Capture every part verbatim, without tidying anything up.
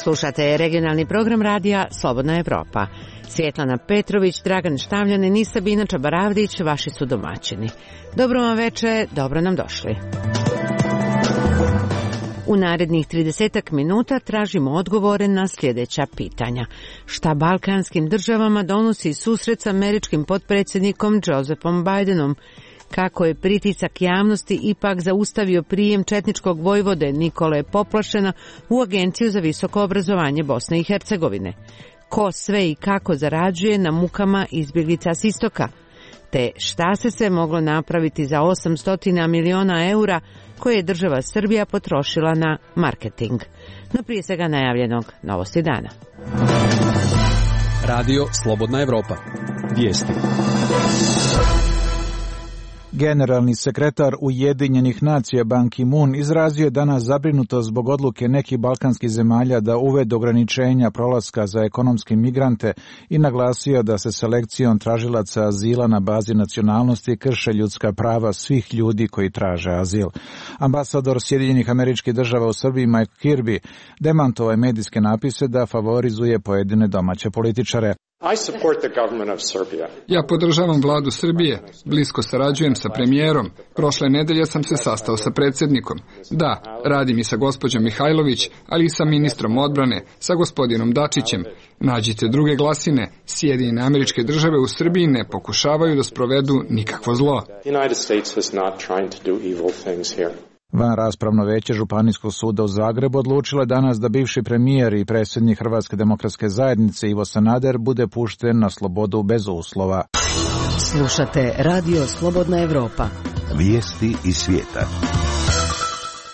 Slušate regionalni program radija Slobodna Evropa. Svjetlana Petrović, Dragan Štavljanin i Sabina Čabaravdić vaši su domaćini. Dobro vam veče, dobro nam došli. U narednih tridesetak minuta tražimo odgovore na sljedeća pitanja. Šta balkanskim državama donosi susret s američkim potpredsjednikom Josephom Bidenom? Kako je pritisak javnosti ipak zaustavio prijem četničkog vojvode Nikole Poplašena u Agenciju za visoko obrazovanje Bosne i Hercegovine? Ko sve i kako zarađuje na mukama izbjeglica s istoka? Te šta se sve moglo napraviti za osamsto miliona eura koje je država Srbija potrošila na marketing? No prije svega najavljenog novosti dana. Radio Slobodna Evropa. Vijesti. Generalni sekretar Ujedinjenih nacija Ban Ki-moon izrazio je danas zabrinutost zbog odluke nekih balkanskih zemalja da uvede ograničenja prolaska za ekonomske migrante i naglasio da se selekcijom tražilaca azila na bazi nacionalnosti krše ljudska prava svih ljudi koji traže azil. Ambasador Sjedinjenih Američkih Država u Srbiji Mike Kirby demantovao je medijske napise da favorizuje pojedine domaće političare. Ja podržavam vladu Srbije, blisko sarađujem sa premijerom. Prošle nedelje sam se sastao sa predsjednikom. Da, radim i sa gospođom Mihajlović, ali i sa ministrom odbrane, sa gospodinom Dačićem. Nađite druge glasine. Sjedinjene Američke Države u Srbiji ne pokušavaju da sprovedu nikakvo zlo. Van raspravno veće Županijskog suda u Zagrebu odlučilo je danas da bivši premijer i predsjednik Hrvatske demokratske zajednice Ivo Sanader bude pušten na slobodu bez uslova. Slušate Radio Slobodna Evropa. Vijesti iz svijeta.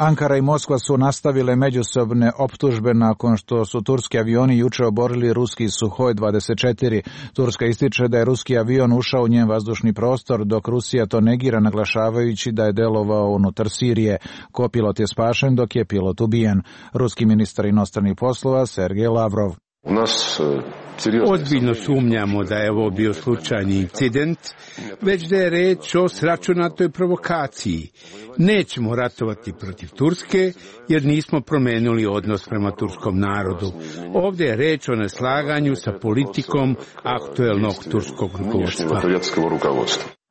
Ankara i Moskva su nastavile međusobne optužbe nakon što su turski avioni juče oborili ruski Suhoj dvadeset četiri. Turska ističe da je ruski avion ušao u njen vazdušni prostor, dok Rusija to negira naglašavajući da je delovao unutar Sirije. Kopilot je spašen dok je pilot ubijen. Ruski ministar inostranih poslova Sergej Lavrov. Ozbiljno sumnjamo da je ovo bio slučajni incident, već da je reč o sračunatoj provokaciji. Nećemo ratovati protiv Turske, jer nismo promenili odnos prema turskom narodu. Ovdje je reč o neslaganju sa politikom aktuelnog turskog rukovodstva.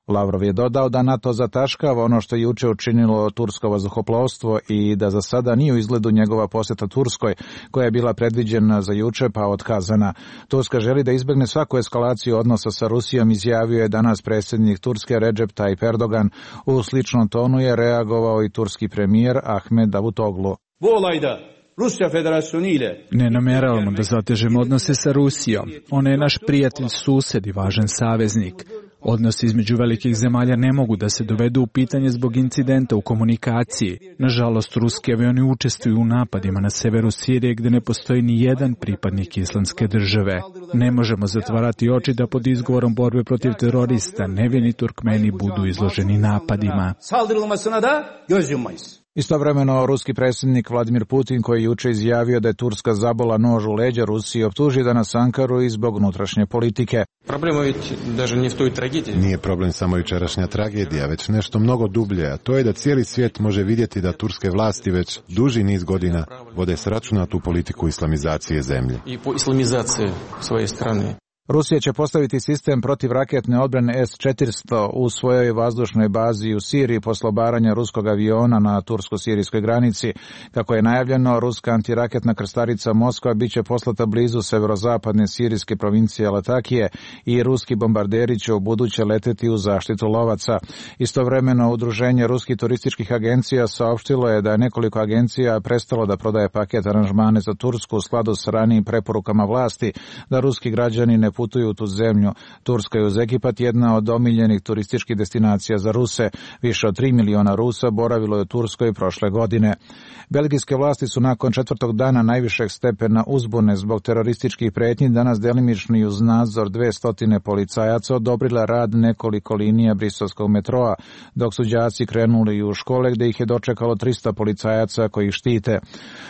Lavrov je dodao da NATO zataškava ono što je juče učinilo tursko vazduhoplovstvo i da za sada nije u izgledu njegova posjeta Turskoj, koja je bila predviđena za juče pa otkazana. Turska želi da izbjegne svaku eskalaciju odnosa sa Rusijom, izjavio je danas predsjednik Turske Recep Tayyip Erdogan. U sličnom tonu je reagovao i turski premijer Ahmed Davutoglu. Bu olayda Rusya Federasyonu ile ne namjeravamo da zatežemo odnose sa Rusijom. Ona je naš prijatelj, sused i važan saveznik. Odnosi između velikih zemalja ne mogu da se dovedu u pitanje zbog incidenta u komunikaciji. Nažalost, ruski avioni učestvuju u napadima na severu Sirije gdje ne postoji ni jedan pripadnik Islamske države. Ne možemo zatvarati oči da pod izgovorom borbe protiv terorista nevini Turkmeni budu izloženi napadima. Istovremeno, ruski predsjednik Vladimir Putin, koji je juče izjavio da je Turska zabola nož u leđa Rusiji, optuži danas Ankaru i zbog unutrašnje politike. Nije problem samo jučerašnja tragedija, već nešto mnogo dublje, a to je da cijeli svijet može vidjeti da turske vlasti već duži niz godina vode sračunatu politiku islamizacije zemlje. Rusija će postaviti sistem protivraketne odbrane S četiristo u svojoj vazdušnoj bazi u Siriji po slobaranju ruskog aviona na tursko-sirijskoj granici. Kako je najavljeno, ruska antiraketna krstarica Moskva bit će poslata blizu severozapadne sirijske provincije Latakije i ruski bombarderi će u buduće leteti u zaštitu lovaca. Istovremeno, udruženje ruskih turističkih agencija saopštilo je da je nekoliko agencija prestalo da prodaje paket aranžmane za Tursku u skladu s ranijim preporukama vlasti da ruski građani ne putuju u tu zemlju. Turska je uz Egipat jedna od omiljenih turističkih destinacija za Ruse. Više od tri miliona Rusa boravilo je u Turskoj prošle godine. Belgijske vlasti su nakon četvrtog dana najvišeg stepena uzbune zbog terorističkih prijetnji danas delimično i uz nadzor dvesta policajaca odobrile rad nekoliko linija briselskog metroa, dok su đaci krenuli u škole gdje ih je dočekalo trista policajaca koji ih štite.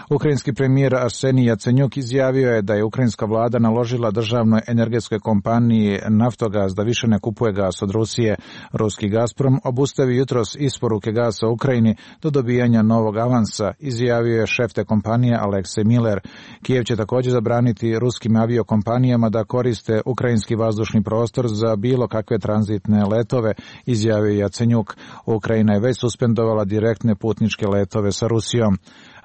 Ukrajinski premijer Arsenij Jacenjuk izjavio je da je ukrajinska vlada naložila državnoj energetskoj energetskoj kompaniji Naftogaz da više ne kupuje gas od Rusije. Ruski Gazprom obustavi jutros isporuke gasa u Ukrajini do dobijanja novog avansa, izjavio je šef te kompanije Aleksej Miller. Kijev će također zabraniti ruskim aviokompanijama da koriste ukrajinski vazdušni prostor za bilo kakve tranzitne letove, izjavio je Jacenjuk. Ukrajina je već suspendovala direktne putničke letove sa Rusijom.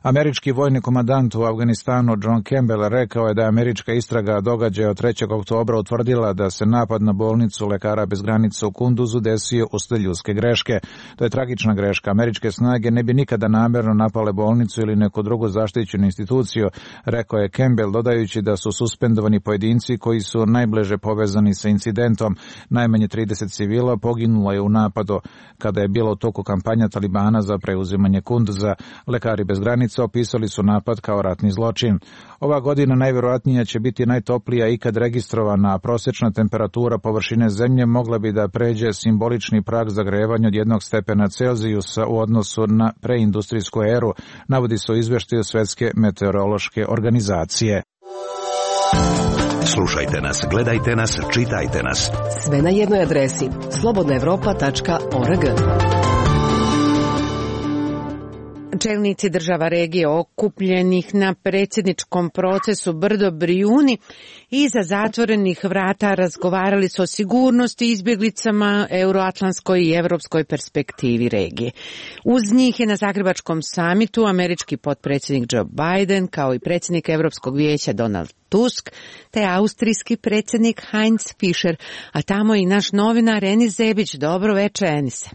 Američki vojni komandant u Afganistanu John Campbell rekao je da je američka istraga događaja od trećeg oktobra utvrdila da se napad na bolnicu Lekara bez granica u Kunduzu desio uslijed ljudske greške. To je tragična greška. Američke snage ne bi nikada namjerno napale bolnicu ili neku drugu zaštićenu instituciju, rekao je Campbell, dodajući da su suspendovani pojedinci koji su najbliže povezani sa incidentom. Najmanje trideset civila poginulo je u napadu kada je bilo u toku kampanja Talibana za preuzimanje Kunduza. Lekari bez granica opisali su napad kao ratni zločin. Ova godina najvjerojatnije će biti najtoplija ikad registrovana, a prosječna temperatura površine zemlje mogla bi da pređe simbolični prag zagrevanja od jednog stepena Celzijusa u odnosu na preindustrijsku eru, navodi se u izveštaju Svjetske meteorološke organizacije. Slušajte nas, gledajte nas, čitajte nas. Sve na jednoj adresi slobodna evropa tačka org. Čelnici država regije okupljenih na predsjedničkom procesu Brdo Brijuni iza zatvorenih vrata razgovarali su o sigurnosti, izbjeglicama, euroatlantskoj i evropskoj perspektivi regije. Uz njih je na Zagrebačkom samitu američki potpredsjednik Joe Biden, kao i predsjednik Europskog vijeća Donald Tusk, te austrijski predsjednik Heinz Fischer, a tamo i naš novinar Enis Zebić. Dobro večer, Enise.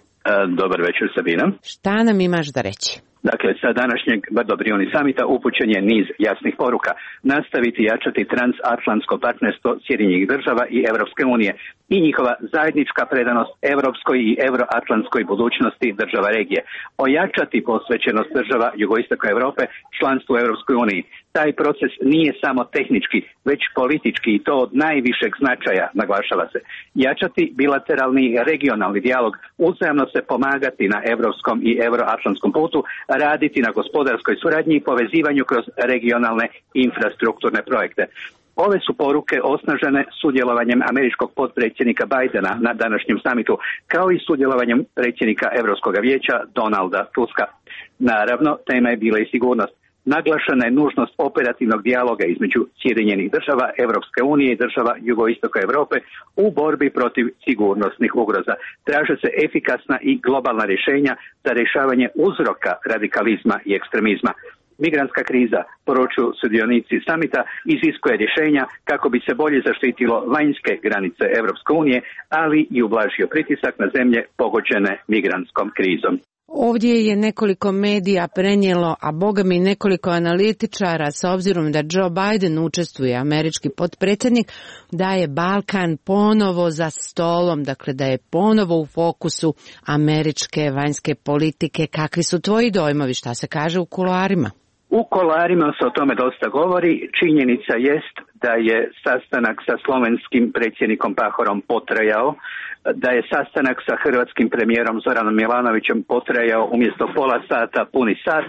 Dobar večer, Sabina. Šta nam imaš da reći? Dakle, sa današnjeg Brdo Brijuni samita upućen je niz jasnih poruka. Nastaviti jačati transatlantsko partnerstvo Sjedinjenih država i Europske unije i njihova zajednička predanost europskoj i euroatlantskoj budućnosti država regije. Ojačati posvećenost država jugoistoka Europe članstvu u Europskoj uniji. Taj proces nije samo tehnički, već politički i to od najvišeg značaja, naglašava se. Jačati bilateralni i regionalni dijalog, uzajamno se pomagati na europskom i euroatlantskom putu, raditi na gospodarskoj suradnji i povezivanju kroz regionalne infrastrukturne projekte. Ove su poruke osnažene sudjelovanjem američkog potpredsjednika Bidena na današnjem samitu, kao i sudjelovanjem predsjednika Europskog vijeća Donalda Tuska. Naravno, tema je bila i sigurnost. Naglašena je nužnost operativnog dijaloga između Sjedinjenih država, Europske unije i država jugoistoka Europe u borbi protiv sigurnosnih ugroza. Traže se efikasna i globalna rješenja za rješavanje uzroka radikalizma i ekstremizma. Migrantska kriza, poručuju sudionici samita, iziskuje rješenja kako bi se bolje zaštitilo vanjske granice Europske unije, ali i ublažio pritisak na zemlje pogođene migrantskom krizom. Ovdje je nekoliko medija prenijelo, a boga mi nekoliko analitičara, s obzirom da Joe Biden učestvuje, američki potpredsjednik, da je Balkan ponovo za stolom, dakle da je ponovo u fokusu američke vanjske politike. Kakvi su tvoji dojmovi, šta se kaže u kuloarima? U kuloarima se o tome dosta govori. Činjenica jest da je sastanak sa slovenskim predsjednikom Pahorom potrajao, da je sastanak sa hrvatskim premijerom Zoranom Milanovićem potrajao umjesto pola sata puni sat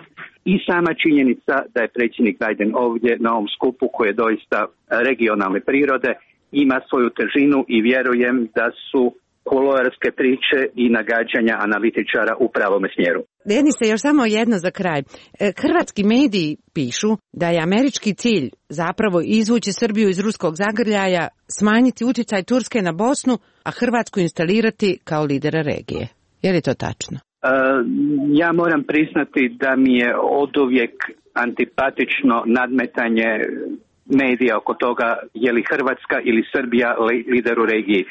i sama činjenica da je predsjednik Biden ovdje na ovom skupu koji je doista regionalne prirode ima svoju težinu i vjerujem da su kuloarske priče i nagađanja analitičara u pravome smjeru. Denise, još samo jedno za kraj. Hrvatski mediji pišu da je američki cilj zapravo izvući Srbiju iz ruskog zagrljaja, smanjiti utjecaj Turske na Bosnu, a Hrvatsku instalirati kao lidera regije. Je li to tačno? E, ja moram priznati da mi je oduvijek antipatično nadmetanje medija oko toga je li Hrvatska ili Srbija lider u regiji. E,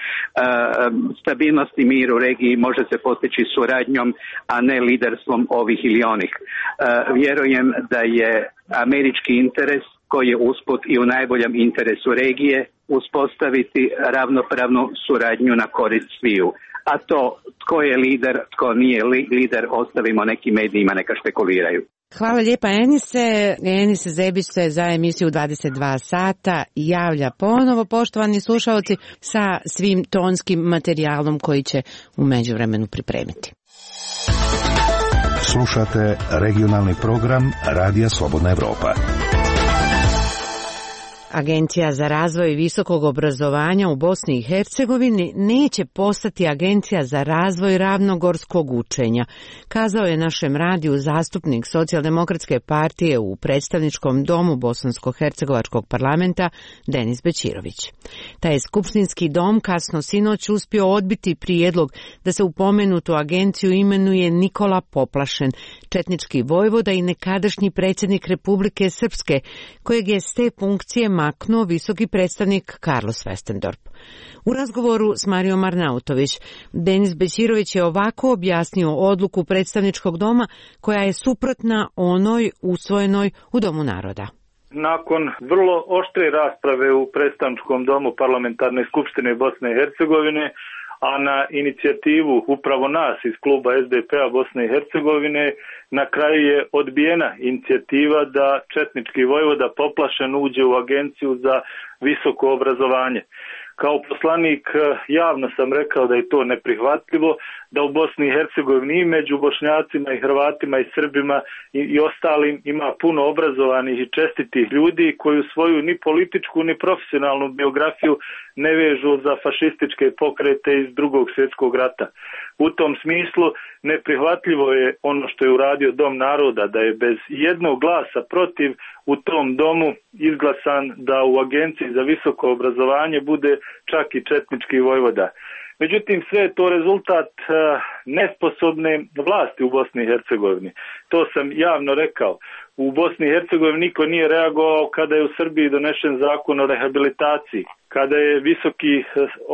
stabilnost i mir u regiji može se postići suradnjom, a ne liderstvom ovih ili onih. E, vjerujem da je američki interes, koji je usput i u najboljem interesu regije, uspostaviti ravnopravnu suradnju na korist sviju. A to tko je lider, tko nije li, lider, ostavimo nekim medijima neka špekuliraju. Hvala lijepa, Enise. Enise Zebić se za emisiju dvadeset dva sata javlja ponovo, poštovani slušalci, sa svim tonskim materijalom koji će u međuvremenu pripremiti. Slušate regionalni program Radija Slobodna Evropa. Agencija za razvoj visokog obrazovanja u Bosni i Hercegovini neće postati Agencija za razvoj ravnogorskog učenja, kazao je našem radiju zastupnik Socijaldemokratske partije u predstavničkom domu Bosansko-hercegovačkog parlamenta Denis Bećirović. Taj je skupštinski dom kasno sinoć uspio odbiti prijedlog da se u pomenutu agenciju imenuje Nikola Poplašen, četnički vojvoda i nekadašnji predsjednik Republike Srpske, kojeg je s te funkcije maknuo visoki predstavnik Carlos Westendorp. U razgovoru s Marijom Arnautović, Denis Bećirović je ovako objasnio odluku predstavničkog doma koja je suprotna onoj usvojenoj u Domu naroda. Nakon vrlo oštre rasprave u predstavničkom domu Parlamentarne skupštine Bosne i Hercegovine, a na inicijativu upravo nas iz kluba es de pe a Bosne i Hercegovine, na kraju je odbijena inicijativa da četnički vojvoda Poplašen uđe u Agenciju za visoko obrazovanje. Kao poslanik javno sam rekao da je to neprihvatljivo, da u Bosni i Hercegovini i među Bošnjacima i Hrvatima i Srbima i, i ostalim ima puno obrazovanih i čestitih ljudi koji svoju ni političku ni profesionalnu biografiju ne vežu za fašističke pokrete iz Drugog svjetskog rata. U tom smislu neprihvatljivo je ono što je uradio Dom naroda, da je bez jednog glasa protiv u tom domu izglasan da u Agenciji za visoko obrazovanje bude čak i četnički vojvoda. Međutim, sve je to rezultat uh, nesposobne vlasti u Bosni i Hercegovini. To sam javno rekao. U Bosni i Hercegovini niko nije reagovao kada je u Srbiji donešen zakon o rehabilitaciji, kada je visoki,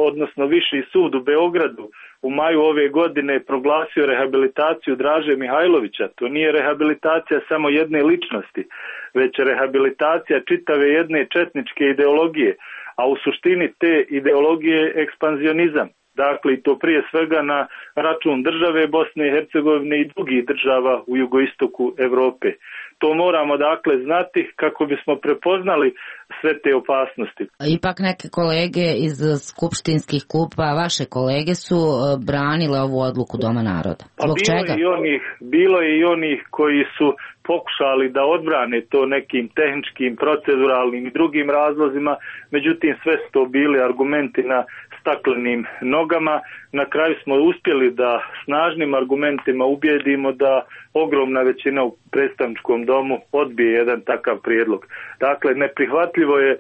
odnosno viši sud u Beogradu u maju ove godine proglasio rehabilitaciju Draže Mihajlovića. To nije rehabilitacija samo jedne ličnosti, već rehabilitacija čitave jedne četničke ideologije, a u suštini te ideologije je ekspanzionizam. Dakle, i to prije svega na račun države Bosne i Hercegovine i drugih država u jugoistoku Europe. To moramo dakle znati kako bismo prepoznali sve te opasnosti. Ipak neke kolege iz skupštinskih klupa, vaše kolege su branile ovu odluku Doma naroda. Zbog bilo čega? Je i onih, bilo je i onih koji su pokušali da odbrane to nekim tehničkim, proceduralnim i drugim razlozima, međutim sve su to bili argumenti na staklenim nogama. Na kraju smo uspjeli da snažnim argumentima ubijedimo da ogromna većina u predstavničkom domu odbije jedan takav prijedlog. Dakle, neprihvatljivo je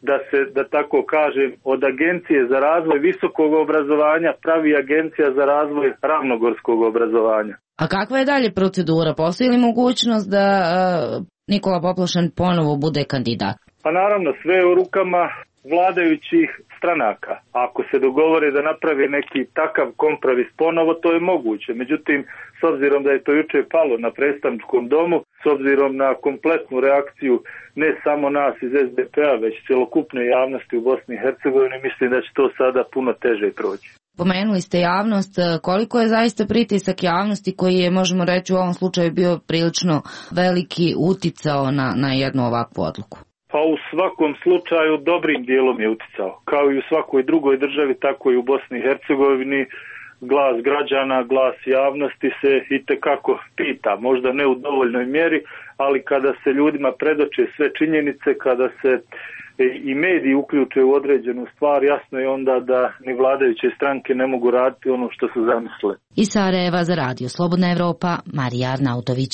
da se, da tako kažem, od Agencije za razvoj visokog obrazovanja pravi Agencija za razvoj ravnogorskog obrazovanja. A kakva je dalje procedura? Postoji li mogućnost da uh, Nikola Poplašen ponovo bude kandidat? Pa naravno, sve je u rukama vladajućih stranaka. Ako se dogovore da napravi neki takav kompromis ponovo, to je moguće. Međutim, s obzirom da je to jučer palo na predstavničkom domu, s obzirom na kompletnu reakciju ne samo nas iz es de pe a, već celokupne javnosti u Bosni i Hercegovini, mislim da će to sada puno teže proći. Pomenuli ste javnost, koliko je zaista pritisak javnosti koji je, možemo reći, u ovom slučaju bio prilično veliki uticao na, na jednu ovakvu odluku? Pa u svakom slučaju dobrim dijelom je uticao. Kao i u svakoj drugoj državi, tako i u Bosni i Hercegovini, glas građana, glas javnosti se itekako pita, možda ne u dovoljnoj mjeri, ali kada se ljudima predoče sve činjenice, kada se i mediji uključe u određenu stvar, jasno je onda da ni vladajuće stranke ne mogu raditi ono što su zamislile. Iz Sarajeva za radio Slobodna Evropa, Marija Arnautović.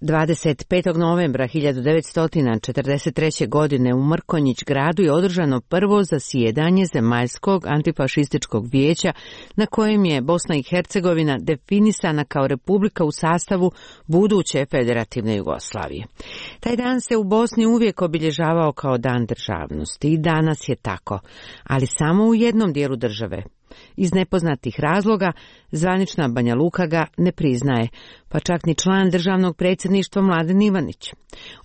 dvadeset petog novembra hiljadu devetsto četrdeset treće. godine u Mrkonjić gradu je održano prvo zasjedanje Zemaljskog antifašističkog vijeća na kojem je Bosna i Hercegovina definisana kao republika u sastavu buduće federativne Jugoslavije. Taj dan se u Bosni uvijek obilježavao kao dan državnosti i danas je tako, ali samo u jednom dijelu države. Iz nepoznatih razloga zvanična Banja Luka ga ne priznaje, pa čak ni član državnog predsjedništva Mladen Ivanić.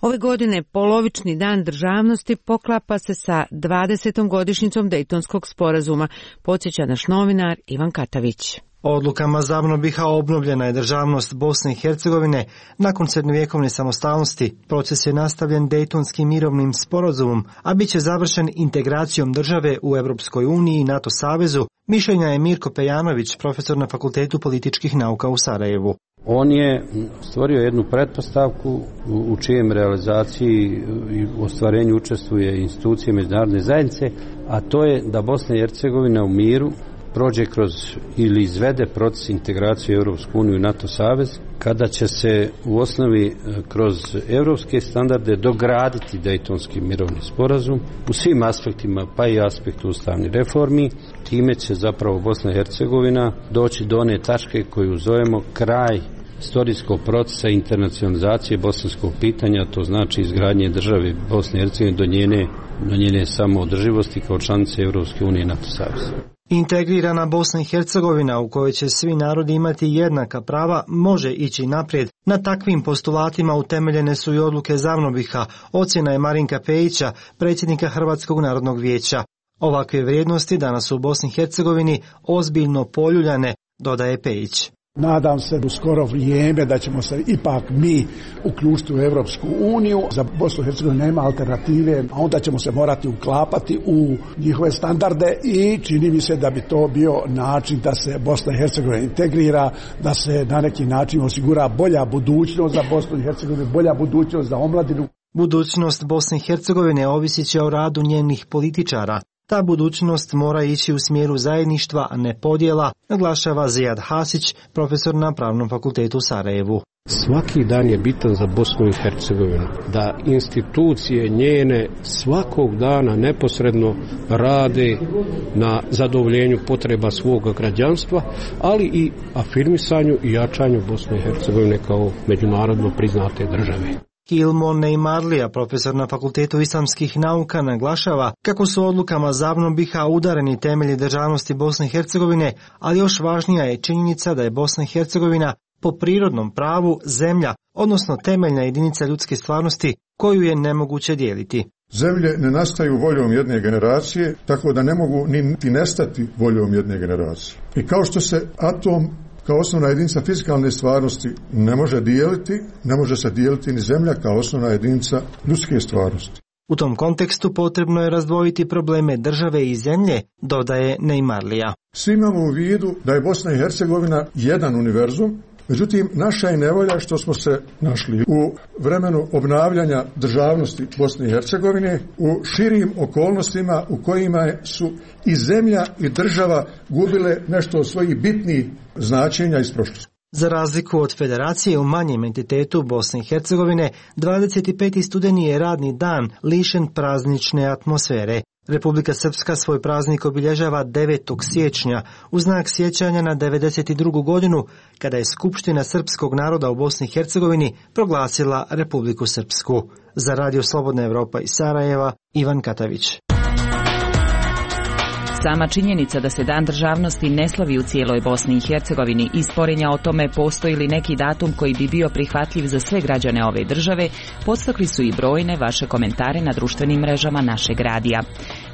Ove godine polovični dan državnosti poklapa se sa dvadesetom godišnjicom Dejtonskog sporazuma, podsjeća naš novinar Ivan Katavić. Odlukama Zabno B i H obnovljena je državnost Bosne i Hercegovine nakon srednjovjekovne samostalnosti. Proces je nastavljen Dejtonskim mirovnim sporazumom, a bit će završen integracijom države u Europskoj uniji i NATO savezu. Mišljenja je Mirko Pejanović, profesor na Fakultetu političkih nauka u Sarajevu. On je stvorio jednu pretpostavku u čijem realizaciji i ostvarenju učestvuje institucije međunarodne zajednice, a to je da Bosna i Hercegovina u miru prođe kroz ili izvede proces integracije u Europsku uniju i NATO savez, kada će se u osnovi kroz europske standarde dograditi Dejtonski mirovni sporazum u svim aspektima, pa i aspektu ustavnih reformi. Time će zapravo Bosna i Hercegovina doći do one tačke koju zovemo kraj istorijskog procesa internacionalizacije bosanskog pitanja, to znači izgradnje države Bosne i Hercegovine do njene, do njene samoodrživosti kao članice Europske unije i NATO saveza. Integrirana Bosna i Hercegovina u kojoj će svi narodi imati jednaka prava može ići naprijed. Na takvim postulatima utemeljene su i odluke Zavnobiha, ocjena je Marinka Pejića, predsjednika Hrvatskog narodnog vijeća. Ovakve vrijednosti danas u Bosni i Hercegovini ozbiljno poljuljane, dodaje Pejić. Nadam se u skoro vrijeme da ćemo se ipak mi uključiti u Europsku uniju. Za Bosnu i Hercegovinu nema alternative, a onda ćemo se morati uklapati u njihove standarde i čini mi se da bi to bio način da se Bosna i Hercegovina integrira, da se na neki način osigura bolja budućnost za Bosnu i Hercegovinu, bolja budućnost za omladinu. Budućnost Bosne i Hercegovine ovisit će o radu njenih političara. Ta budućnost mora ići u smjeru zajedništva, a ne podjela, naglašava Zijad Hasić, profesor na Pravnom fakultetu u Sarajevu. Svaki dan je bitan za Bosnu i Hercegovinu, da institucije njene svakog dana neposredno rade na zadovoljenju potreba svog građanstva, ali i afirmisanju i jačanju Bosne i Hercegovine kao međunarodno priznate države. Hilmon Neymarlija, profesor na Fakultetu islamskih nauka, naglašava kako su odlukama Zavnobiha udareni temelji državnosti Bosne i Hercegovine, ali još važnija je činjenica da je Bosna i Hercegovina po prirodnom pravu zemlja, odnosno temeljna jedinica ljudske stvarnosti koju je nemoguće dijeliti. Zemlje ne nastaju voljom jedne generacije, tako da ne mogu niti nestati voljom jedne generacije. I kao što se atom kao osnovna jedinica fizikalne stvarnosti ne može dijeliti, ne može se dijeliti ni zemlja kao osnovna jedinica ljudske stvarnosti. U tom kontekstu potrebno je razdvojiti probleme države i zemlje, dodaje Neymarlija. Svi imamo u vidu da je Bosna i Hercegovina jedan univerzum, međutim naša je nevolja što smo se našli u vremenu obnavljanja državnosti Bosne i Hercegovine u širim okolnostima u kojima su i zemlja i država gubile nešto od svojih bitnih značenja iz prošlosti. Za razliku od federacije u manjem entitetu Bosne i Hercegovine, dvadeset peti studeni je radni dan lišen praznične atmosfere. Republika Srpska svoj praznik obilježava devetog siječnja u znak sjećanja na devedeset drugu godinu kada je Skupština srpskog naroda u Bosni i Hercegovini proglasila Republiku Srpsku. Za Radio Slobodna Evropa iz Sarajeva, Ivan Katavić. Sama činjenica da se Dan državnosti ne slavi u cijeloj Bosni i Hercegovini i sporenja o tome postoji li neki datum koji bi bio prihvatljiv za sve građane ove države, podstakli su i brojne vaše komentare na društvenim mrežama našeg radija.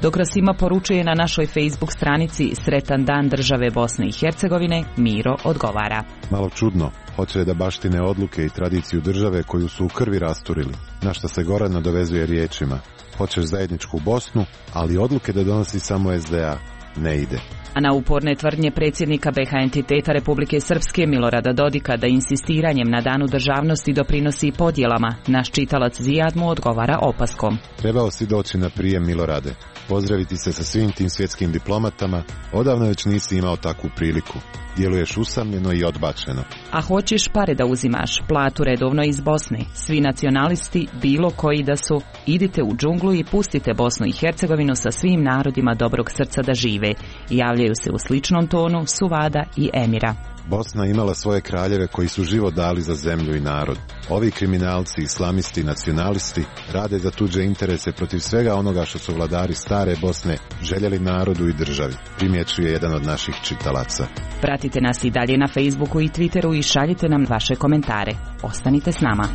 Dok Rasima poručuje na našoj Facebook stranici Sretan dan države Bosne i Hercegovine, Miro odgovara. Malo čudno, hoće da baštine odluke i tradiciju države koju su u krvi rasturili, na što se Goran nadovezuje riječima. Hoćeš zajedničku Bosnu, ali odluke da donosi samo es de a ne ide. A na uporne tvrdnje predsjednika be ha entiteta Republike Srpske Milorada Dodika da insistiranjem na danu državnosti doprinosi podjelama, naš čitalac Zijad mu odgovara opaskom. Trebao si doći na prijem, Milorade, pozdraviti se sa svim tim svjetskim diplomatama, odavno već nisi imao takvu priliku. Djeluješ usamljeno i odbačeno. A hoćeš pare da uzimaš, platu redovno iz Bosne. Svi nacionalisti, bilo koji da su, idite u džunglu i pustite Bosnu i Hercegovinu sa svim narodima dobrog srca da žive. Javljaju se u sličnom tonu Suvada i Emira. Bosna imala svoje kraljeve koji su život dali za zemlju i narod. Ovi kriminalci, islamisti i nacionalisti rade za tuđe interese protiv svega onoga što su vladari stare Bosne željeli narodu i državi, primjećuje jedan od naših čitalaca. Pratite nas i dalje na Facebooku i Twitteru i šaljite nam vaše komentare. Ostanite s nama.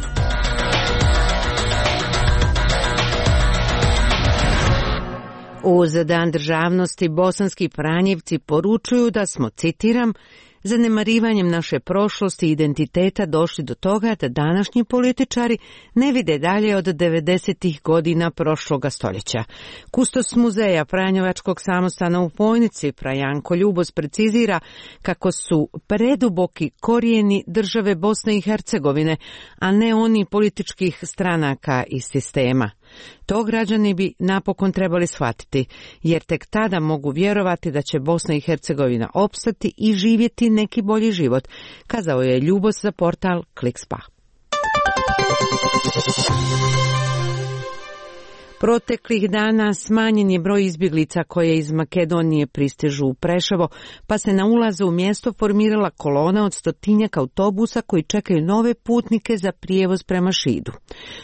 Uz Dan državnosti bosanski Pranjevci poručuju da smo, citiram, zanemarivanjem naše prošlosti i identiteta došli do toga da današnji političari ne vide dalje od devedesetih godina prošloga stoljeća. Kustos muzeja Franjevačkog samostana u Fojnici, fra Janko Ljubos, precizira kako su preduboki korijeni države Bosne i Hercegovine, a ne oni političkih stranaka i sistema. To građani bi napokon trebali shvatiti, jer tek tada mogu vjerovati da će Bosna i Hercegovina opstati i živjeti neki bolji život, kazao je Ljubos za portal Klikspa. Proteklih dana smanjen je broj izbjeglica koje iz Makedonije pristižu u Preševo, pa se na ulazu u mjesto formirala kolona od stotinjak autobusa koji čekaju nove putnike za prijevoz prema Šidu.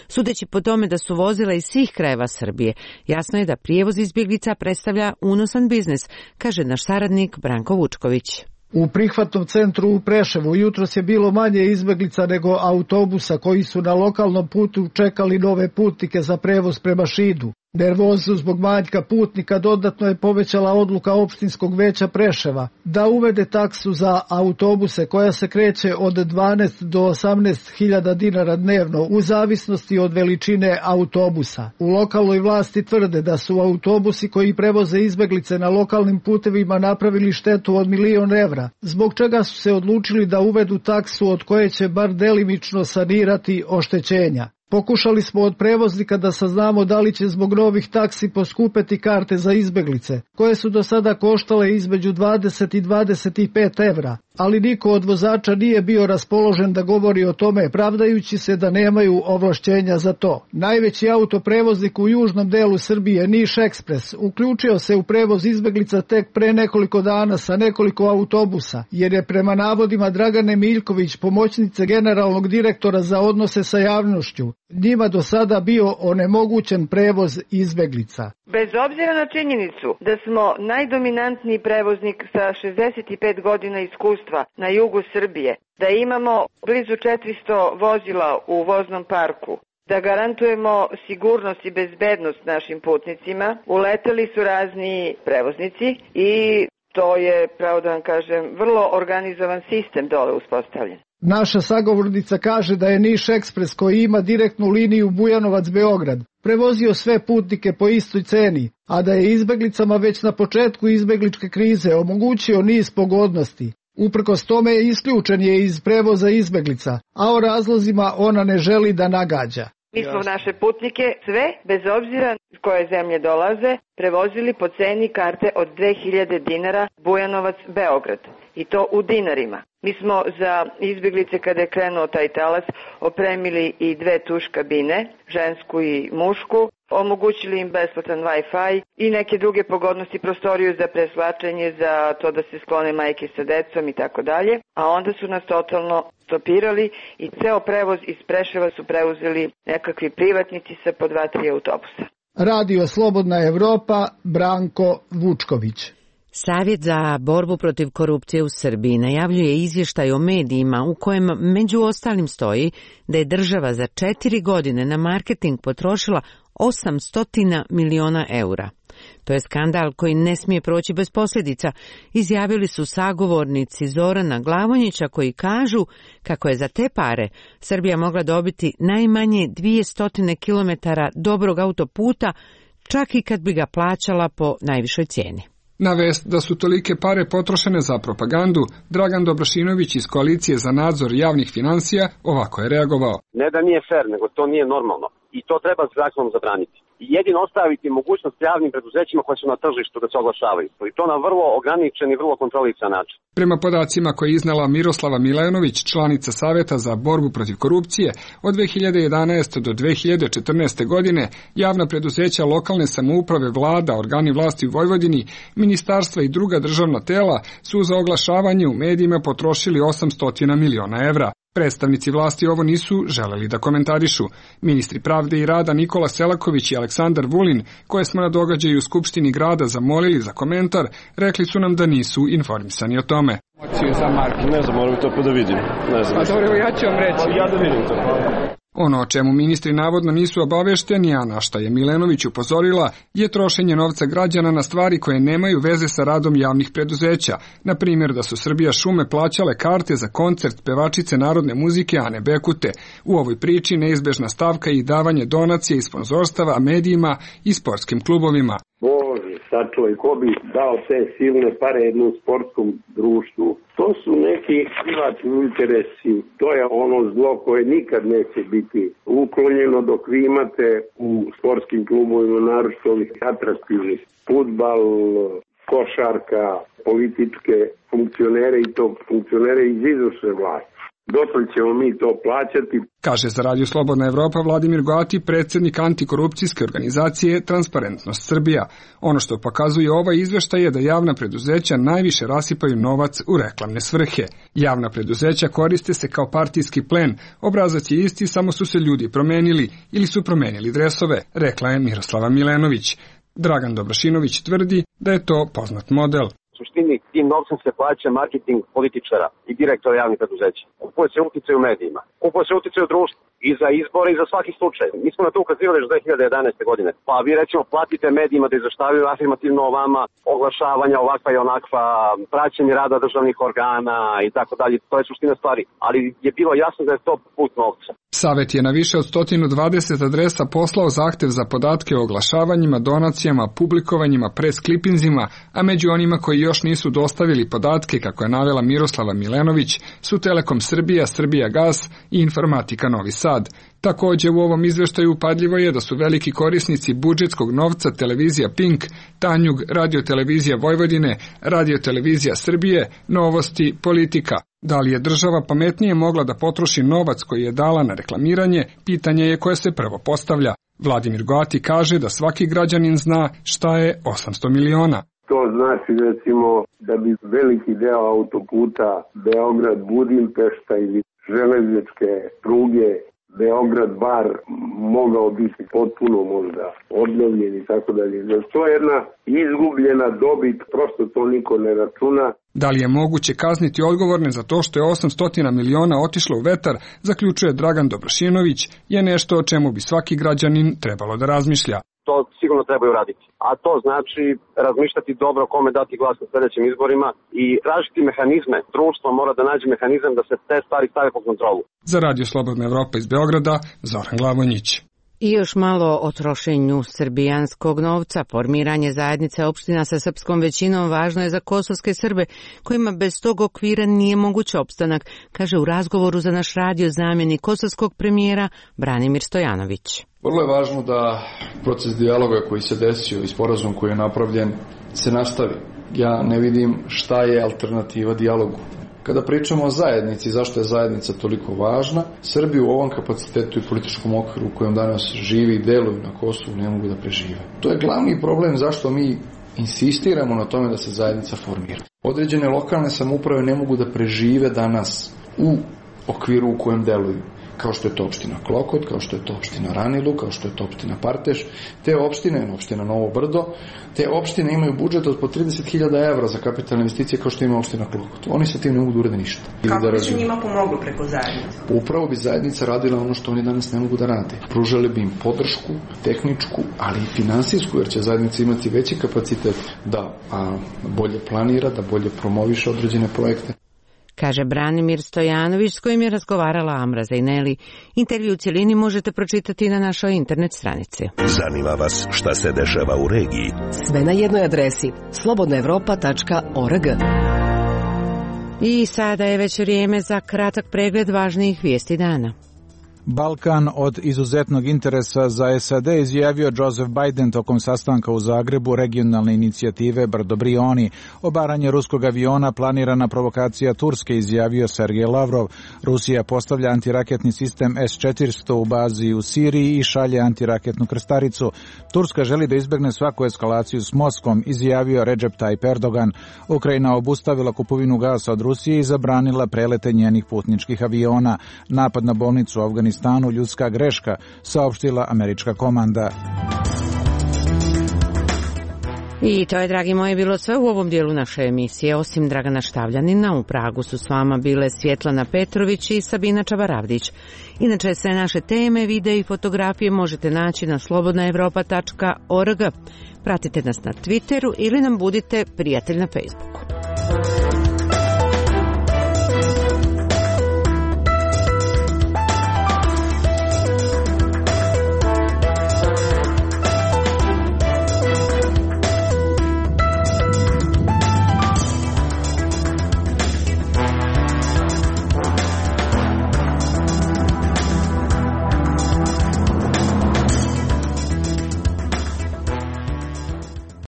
Sudeći po tome da su vozila iz svih krajeva Srbije, jasno je da prijevoz izbjeglica predstavlja unosan biznis, kaže naš saradnik Branko Vučković. U prihvatnom centru u Preševu jutros je bilo manje izbjeglica nego autobusa koji su na lokalnom putu čekali nove putnike za prevoz prema Šidu. Nervozu zbog manjka putnika dodatno je povećala odluka opštinskog veća Preševa da uvede taksu za autobuse koja se kreće od dvanaest do osamnaest hiljada dinara dnevno u zavisnosti od veličine autobusa. U lokalnoj vlasti tvrde da su autobusi koji prevoze izbjeglice na lokalnim putevima napravili štetu od milion evra, zbog čega su se odlučili da uvedu taksu od koje će bar delimično sanirati oštećenja. Pokušali smo od prevoznika da saznamo da li će zbog novih taksi poskupeti karte za izbjeglice, koje su do sada koštale između dvadeset i dvadeset pet evra, ali niko od vozača nije bio raspoložen da govori o tome, pravdajući se da nemaju ovlašćenja za to. Najveći autoprevoznik u južnom delu Srbije, Niš Ekspres, uključio se u prevoz izbjeglica tek pre nekoliko dana sa nekoliko autobusa, jer je prema navodima Dragane Miljković, pomoćnice generalnog direktora za odnose sa javnošću, njima do sada bio onemogućen prevoz izbjeglica. Bez obzira na činjenicu da smo najdominantniji prevoznik sa šezdeset pet godina iskustva na jugu Srbije, da imamo blizu četiristo vozila u voznom parku, da garantujemo sigurnost i bezbednost našim putnicima, uleteli su razni prevoznici i to je, pravo da vam kažem, vrlo organizovan sistem dole uspostavljen. Naša sagovornica kaže da je Niš Ekspres, koji ima direktnu liniju Bujanovac-Beograd, prevozio sve putnike po istoj ceni, a da je izbjeglicama već na početku izbjegličke krize omogućio niz pogodnosti. Uprkos tome je isključen je iz prevoza izbjeglica, a o razlozima ona ne želi da nagađa. Mi smo naše putnike sve, bez obzira iz koje zemlje dolaze, prevozili po ceni karte od dve hiljade dinara Bujanovac-Beograd. I to u dinarima. Mi smo za izbjeglice, kada je krenuo taj talas, opremili i dve tuš kabine, žensku i mušku, omogućili im besplatan Wi-Fi i neke druge pogodnosti, prostoriju za preslačenje, za to da se sklone majke sa decom i tako dalje. A onda su nas totalno stopirali i ceo prevoz iz Preševa su preuzeli nekakvi privatnici sa po dva, tri autobusa. Radio Slobodna Evropa, Branko Vučković. Savjet za borbu protiv korupcije u Srbiji najavljuje izvještaj o medijima u kojem među ostalim stoji da je država za četiri godine na marketing potrošila osamsto miliona eura. To je skandal koji ne smije proći bez posljedica, izjavili su sagovornici Zorana Glavonjića koji kažu kako je za te pare Srbija mogla dobiti najmanje dvjesto kilometara dobrog autoputa, čak i kad bi ga plaćala po najvišoj cijeni. Na vest da su tolike pare potrošene za propagandu, Dragan Dobrašinović iz Koalicije za nadzor javnih financija ovako je reagovao. Ne da nije fer, nego to nije normalno i to treba zakonom zabraniti. I jedino ostaviti mogućnost javnim preduzećima koje su na tržištu da se oglašavaju. I to na vrlo ograničen i vrlo kontrolisan način. Prema podacima koje je iznala Miroslava Milanović, članica Saveta za borbu protiv korupcije, od dve hiljade jedanaeste. do dve hiljade četrnaeste. godine javna preduzeća lokalne samouprave, vlada, organi vlasti u Vojvodini, ministarstva i druga državna tela su za oglašavanje u medijima potrošili osamsto miliona evra. Predstavnici vlasti ovo nisu želeli da komentarišu. Ministri pravde i rada Nikola Selaković i Aleksandar Vulin, koje smo na događaju u Skupštini grada zamolili za komentar, rekli su nam da nisu informisani o tome. za Marke? Ne znam, moram to pa da vidim. Ne znam. A dobro, ja ću vam reći. Ja da vidim to. Ono o čemu ministri navodno nisu obavešteni, a na šta je Milenović upozorila, je trošenje novca građana na stvari koje nemaju veze sa radom javnih preduzeća. Na primjer da su Srbija šume plaćale karte za koncert pevačice narodne muzike Ane Bekute. U ovoj priči neizbežna stavka i davanje donacije i sponzorstava medijima i sportskim klubovima. Bože, sačuvaj, ko bi dao te silne pare jednom sportskom društvu? To su neki privatni interesi, to je ono zlo koje nikad neće biti uklonjeno dok vi imate u sportskim klubovima, naročito ovih atraktivnih, fudbal, košarka, političke funkcionere i to funkcionere iz izvršne vlasti. Dotle ćemo mi to plaćati. Kaže za Radio Slobodna Evropa Vladimir Goati, predsjednik antikorupcijske organizacije Transparentnost Srbija. Ono što pokazuje ovaj izveštaj je da javna preduzeća najviše rasipaju novac u reklamne svrhe. Javna preduzeća koriste se kao partijski plen, obrazac je isti, samo su se ljudi promenili ili su promenili dresove, rekla je Miroslava Milenović. Dragan Dobrašinović tvrdi da je to poznat model. U suštini tim novcem se plaća marketing političara i direktora javnih preduzeća. Kupuje se uticaj u medijima, kupuje se uticaj u društvu i za izbore i za svaki slučaj. Mi smo na to ukazivali još dve hiljade jedanaeste. godine. Pa vi recimo platite medijima da izveštavaju afirmativno o vama, oglašavanja ovakva i onakva, praćenje rada državnih organa i tako dalje. To je suština stvari. Ali je bilo jasno da je to put novca. Savet je na više od sto dvadeset adresa poslao zahtev za podatke o oglašavanjima, donacijama, publikovanjima, pres klipinzima, a među onima koji još nisu dostavili podatke, kako je navela Miroslava Milenović, su Telekom Srbija, Srbija Gas i Informatika Novi Sad. Također u ovom izveštaju upadljivo je da su veliki korisnici budžetskog novca televizija Pink, Tanjug, Radio-televizija Vojvodine, Radio-televizija Srbije, Novosti, Politika. Da li je država pametnije mogla da potroši novac koji je dala na reklamiranje, pitanje je koje se prvo postavlja. Vladimir Goati kaže da svaki građanin zna šta je osamsto miliona. To znači recimo da bi veliki deo autoputa Beograd-Budimpešta ili železničke pruge Beograd-Bar mogao biti potpuno možda obnovljen i tako dalje. To je jedna izgubljena dobit, prosto to niko ne računa. Da li je moguće kazniti odgovorne za to što je osamsto miliona otišlo u vetar, zaključuje Dragan Dobrašinović, je nešto o čemu bi svaki građanin trebalo da razmišlja. To sigurno trebaju raditi. A to znači razmišljati dobro kome dati glas na sljedećim izborima i tražiti mehanizme. Društvo mora da nađe mehanizam da se te stvari stave pod kontrolu. Za Radio Slobodna Evropa iz Beograda, Zoran Glavonjić. I još malo o trošenju srbijanskog novca. Formiranje zajednice opština sa srpskom većinom važno je za kosovske Srbe, kojima bez tog okvira nije moguć opstanak, kaže u razgovoru za naš radio zamjenik kosovskog premijera Branimir Stojanović. Vrlo je važno da proces dijaloga koji se desio i sporazum koji je napravljen se nastavi. Ja ne vidim šta je alternativa dijalogu. Kada pričamo o zajednici, zašto je zajednica toliko važna, Srbi u ovom kapacitetu i političkom okviru u kojem danas živi i deluju na Kosovu ne mogu da prežive. To je glavni problem zašto mi insistiramo na tome da se zajednica formira. Određene lokalne samouprave ne mogu da prežive danas u okviru u kojem deluju. Kao što je to opština Klokot, kao što je to opština Ranilu, kao što je to opština Parteš. Te opštine, opština Novo Brdo, te opštine imaju budžet od po trideset hiljada evra za kapitalne investicije kao što ima opština Klokot. Oni sa tim ne mogu da urede ništa. Kako bi se njima pomoglo preko zajednice? Upravo bi zajednica radila ono što oni danas ne mogu da rade. Pružali bi im podršku, tehničku, ali i finansijsku, jer će zajednica imati veći kapacitet da a, bolje planira, da bolje promoviše određene projekte. Kaže Branimir Stojanović, s kojim je razgovarala Amra Zajneli. Intervju u cjelini možete pročitati na našoj internet stranici. Zanima vas šta se dešava u regiji? Sve na jednoj adresi slobodna evropa tačka org. I sada je već vrijeme za kratak pregled važnijih vijesti dana. Balkan od izuzetnog interesa za S A D, izjavio Joseph Biden tokom sastanka u Zagrebu regionalne inicijative Brdo Brioni. Obaranje ruskog aviona planirana provokacija Turske, izjavio Sergej Lavrov. Rusija postavlja antiraketni sistem S četiristo u bazi u Siriji i šalje antiraketnu krstaricu. Turska želi da izbjegne svaku eskalaciju s Moskvom, izjavio Recep Tayyip Erdogan. Ukrajina obustavila kupovinu gasa od Rusije i zabranila prelete njenih putničkih aviona. Napad na bolnicu u Afganistanu stanu ljudska greška, saopštila američka komanda. I to je, dragi moji, bilo sve u ovom dijelu naše emisije. Osim Dragana Štavljanina, u Pragu su s vama bile Svjetlana Petrović i Sabina Čabaravdić. Inače, sve naše teme, videe i fotografije možete naći na slobodna evropa tačka org. Pratite nas na Twitteru ili nam budite prijatelj na Facebooku.